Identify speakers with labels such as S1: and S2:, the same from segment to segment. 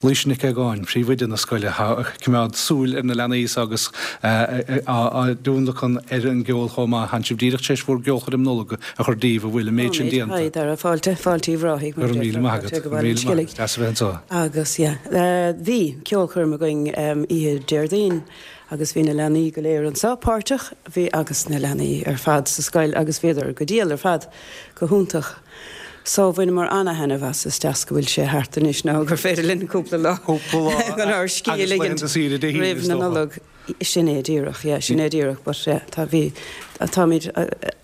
S1: Laoise Nic Aogáin, príomhoide na scoile, atá ag coimeád súil ar na leanaí so agus á dtionlacan ar an gceol chomh maith. Tánn sibh díreach tar éis bhur gceolchoirm Nollag a chur díbh, an bhfuil an méid sin déanta?
S2: Tá, Dara, fáilte, fáilte Uíbh Ráthaigh,
S1: mar a déarfá, fáilte go Baile an Sceilg. Deas a bheith anseo.
S2: Agus, yeah, bhí ceolchoirm againn oíche Déardaoin agus bhí na leanaí go léir anseo páirteach, bhí, agus na leanaí ar fad sa scoil agus bhíodar go diail ar fad, go hiontach. So bhaineamar ana-thaitneamh as, is deas go bhfuil sé thart anois nó gur féidir linn cúpla lá chun ár scíth a ligint roimh na Nollag. Sin é díreach, yeah, sin é díreach but yeah, tá, bhí, táimid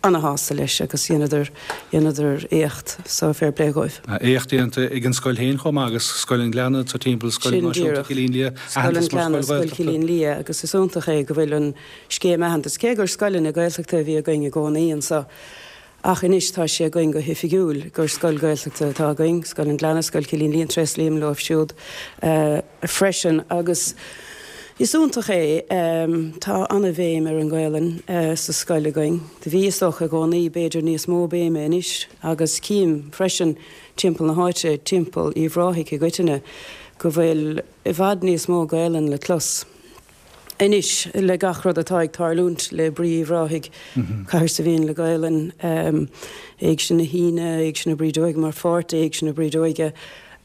S2: ana-shásta leis agus dheineadar, dheineadar éacht so fair play dhóibh.
S1: Éacht déanta ag an scoil féin chomh maith agus Scoil an Ghleanna sa timpeall, Scoil Náisiúnta Chillín Liath,
S2: Scoil an Ghleanna, Scoil Chillín Liath agus is iontach é go bhfuil an scéim aitheantais, cé gur scoileanna Gaeltachta a bhí againn i gcónaí anso, Ach anois tá sé againn go hoifigiúil gur scoil Ghaeltachta atá againn, Scoil an Ghleanna, Scoil Chillín Liath, tréaslaím leo siúd freisin. Agus is iontach é, tá ana-bhéim ar an Ghaelainn sa scoil againn. Do bhí, is dócha, i gcónaí, b'fhéidir níos mó béime anois agus cím freisin timpeall na háite, timpeall Uíbh Ráthaigh i gcoitinne, go bhfuil i bhfad níos mó Gaelainn le clos. Anois, le gach rud atá ag tarlúint le brí Uíbh Ráthaigh, Cathair Saidhbhín le Gaelainn, Éigse na hAoine, Éigse na Brídeoige mar pháirt d'Éigse na Brídeoige,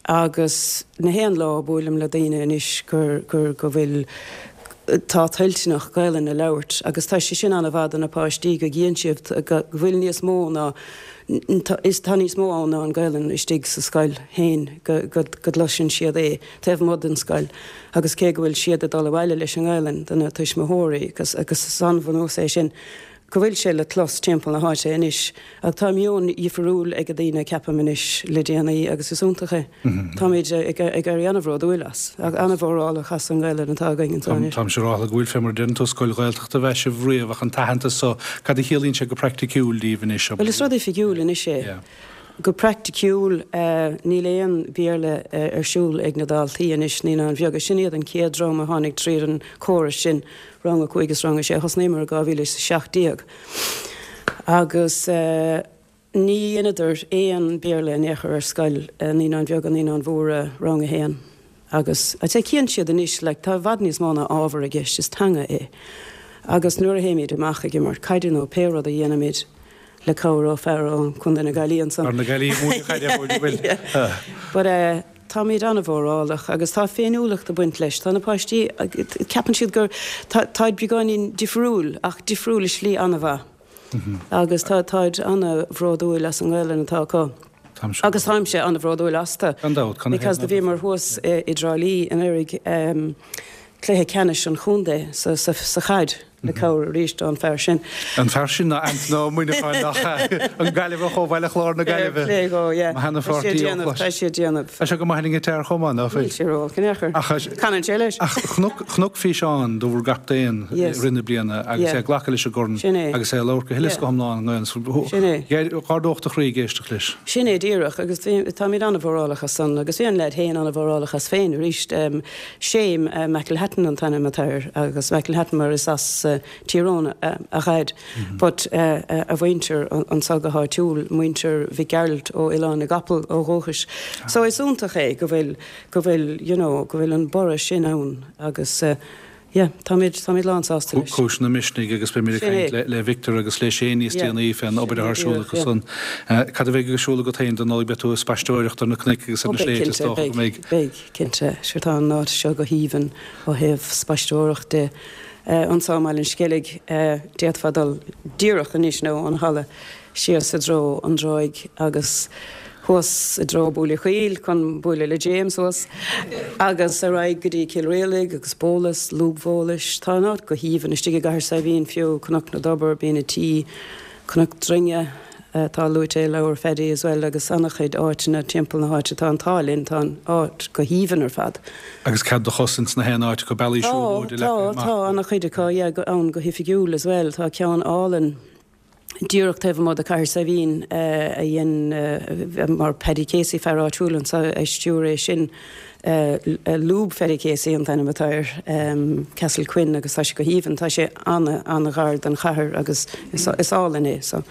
S2: agus na haon lá buailim le daoine anois gur, gur, go bhfuil, tá toilteanach Gaelainn a labhairt agus tá sé sin an-mhaith do na páistí go gcíonn siad go bhfuil níos mó ná, is, tá níos mó ann ná an Ghaelainn istigh sa scoil féin, go, go, go gcloiseann siad é. taobh amuigh den scoil agus cé go bhfuil siad ag dul abhaile leis an nGaelainn do na tuismitheoirí agus agus is an-bhunús é sin go bhfuil sé le clos timpeall na háite anois ach tá meon dhifriúil ag daoine ceapaim anois le déanaí agus is iontach é. Táimid ag éirí an-bhródúil as, an-mhórálach as an nGaelainn atá againn anseo anois.
S1: Táimse ag rá go bhfuil fé mar a deireann tú scoil Ghaeltachta a bheith sibh riamh ach an t-aitheantas so cad a chiallaíonn sé go praiticiúil daoibh anois?
S2: Bhuel is rud oifigiúil anois é. Go praiticiúil, níl aon Bhéarla ar siúl ag na daltaí anois, Naíonáin Bheaga. Sin iad an chéad dream a tháinig tríd an córas sin, Rang 5 is Rang 6. Thosnaíomar i 2017 agus ní dheineadar aon Bhéarla in aon chor ar scoil, Naíonáin Bheaga, Naíonáin Mhóra, Rang 1. Agus I'd say cíonn siad anois, like, tá i bhfad níos mó ná ábhar i gceist, is teanga é. Agus nuair a théimid amach ag imirt caide nó pé rud a dhéanaimid, le cabhair ó fear ó Contae na Gaillimhe ansan.
S1: Fear na Gaillimhe ag múineadh caide an bhfuil?
S2: But eh táimid an-mhórálach agus tá féiniúlacht ag baint leis. Tá na páistí, ceapann siad gur, tá, táid beagáinín difriúil ach difriúil i slí an-mhaith. Agus tá, táid an-bhródúil as an nGaelainn atá acu. Agus táimse an-bhródúil astu.
S1: Gan dabht,
S2: can Because do bhíomar thuas i dTrá Lí anuraidh, cluiche ceannais an chontae sa, sa, sa chaid. Le cabhair arís ón fear sin.
S1: An fear sin ná Antaine Ó Muineacháin nach ea? An Gaillimheach ó Bhaile Chláir na
S2: Gaillimhe. Fair play dhó, yeah.
S1: Mo sheana-pháirtí
S2: Tá sé ag déanamh, tá sé ag déanamh.
S1: Tá sé go maith ar an ngiotár chomh maith, ná fuil?
S2: Níl sé ró-olc in aon chor.
S1: Ach,
S2: Canann sé leis.
S1: Ach chonac, chonac físeán de bhur gcaptaen i rith na bliana agus é ag glacadh leis an gcorn
S2: Sin é.
S1: agus é ag labhairt go huile is go hiomlán i
S2: nGaelainn. Sin é.
S1: Dh'ardódh do chroí ag éisteacht leis.
S2: Sin é díreach agus bhí, táimid an-mhórálach as san agus bhí an leaid féin an-mhórálach as féin arís. Shane McElhatton an t-ainm atá air agus McElhatton mar is as Tír Eoghain a dhaid but a mhuintir anso go háitiúil, muintir Mhic Gearailt ó Oileán na gCapall ó dhúchais. So is iontach é go bhfuil, go bhfuil you know go bhfuil an borradh sin ann agus yeah táimid, táimid lán sásta
S1: leis. Cúiseanna misnigh agus beimid ag caint le Victor agus le Shane níos déanaí fén obair atá ar siúl acu san. Cad a bheidh ar siúl agat féin don Nollaig? Beidh tú ag spaisteoireacht ar na cnoic agus ar na sléibhte is dócha go
S2: mbeidh. Beidh. Cinnte, sure tá an áit seo go haoibhinn ó thaobh spaisteoireacht de. Anso i mBaile an Sceilg, d'fhéadfá dul díreach anois nó ón halla síos i dtreo an dTráigh agus thuas i dtreo Buaile Chaoil chun bualadh le James thuas agus ar aghaidh go dtí Cill Rialaig agus Bólas, Lúb Bhólais. Tá an áit go haoibhinn istigh i gCathair Saidhbhín fiú, Cnoc na dTobar, Binn a' Tí, Cnoc Droinge. atá luaite i leabhar Phaddy as well agus an-chuid áiteanna timpeall na háite. Tá an t-ádh linn, tá an áit go haoibhinn ar fad.
S1: Agus cead do chos ins na haon áit acu, bealaí
S2: Tá,
S1: siúlóide
S2: tá,
S1: leagtha amach.
S2: tá an-chuid acu, yeah, ann go hoifigiúil as well. Tá ceann álainn díreach taobh amuigh de Cathair Saidhbhín a dhein mar Paddy Casey, fear áitiúil anso, a stiúir é sin. Lúb Pheiricéasaí an t-ainm atá air, Castle Quin agus tá sé go haoibhinn, tá sé an-an-ghar don chathair agus is álainn é so.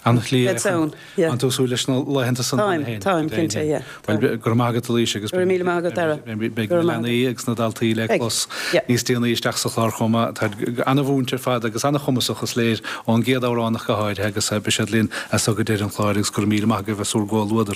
S1: An-shlí é chun, an tú ag súil leis na laethanta san
S2: cheana féin? Táim, táim cinnte, yeah.
S1: Bhuel, go raibh maith agat a Laoise agus
S2: Go raibh míle maith agat Dara.
S1: beidh na leanaí agus na daltaí le clos níos déanaí isteach sa chlár chomh maith. Táid an-mhúinte ar fad agus an-chumasach is léir ón gcéad amhrán ach go háirithe agus beidh siad linn as so go deireadh an chláir agus go raibh míle maith agaibh as bhur gcomhluadar.